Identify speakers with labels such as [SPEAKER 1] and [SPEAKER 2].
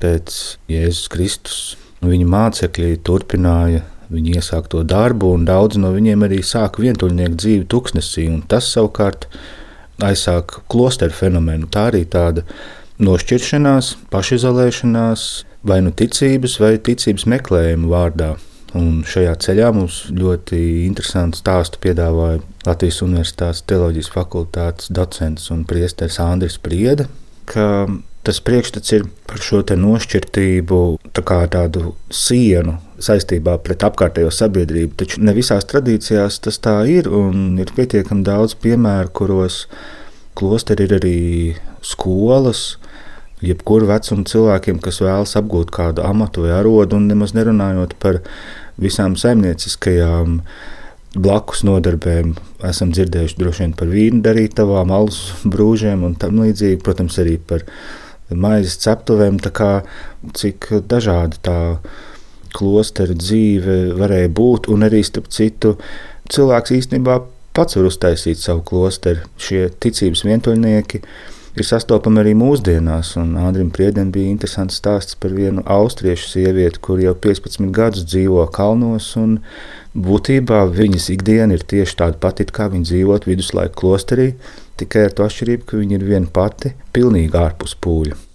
[SPEAKER 1] pēc Jēzus Kristus. Viņa mācekļi turpināja viņa iesākto darbu, un daudzi no viņiem arī sāka vientuļnieku dzīvi tuksnesī, un tas savukārt aizsāka klosteru fenomenu. Tā arī tāda nošķiršanās, pašizolēšanās, vai nu ticības vai ticības meklējuma vārdā. Un šajā ceļā mums ļoti interesantu stāstu piedāvāja Latvijas Universitātes teoloģijas fakultātes docents un priesteris Andris Priede, ka tas priekšstats ir par šo te nošķirtību, tā kā tādu sienu saistībā pret apkārtējo sabiedrību, taču ne visās tradīcijās tas tā ir, un ir pietiekami daudz piemēru, kuros klosteri ir arī skolas, jebkuru vecumu cilvēkiem, kas vēlas apgūt kādu amatu vai arodu, un nemaz nerunājot par visām saimnieciskajām blakus nodarbēm. Esam dzirdējuši droši vien par vīnu darītavām, alus brūžiem un tam līdzīgi, protams, arī par maizes ceptuvēm, tā kā cik dažādi tā klostera dzīve varēja būt, un arī starp citu cilvēks īstenībā pats var uztaisīt savu klosteru. Šie ticības vientuļnieki ir sastopami arī mūsdienās, un Andrim Priedem bija interesants stāsts par vienu austriešu sievieti, kur jau 15 gadus dzīvo kalnos, un būtībā viņas ikdiena ir tieši tāda pati, kā viņa dzīvot viduslaiku klosterī, tikai ar to atšķirību, ka viņa ir viena pati, pilnīgi ārpus pūļa.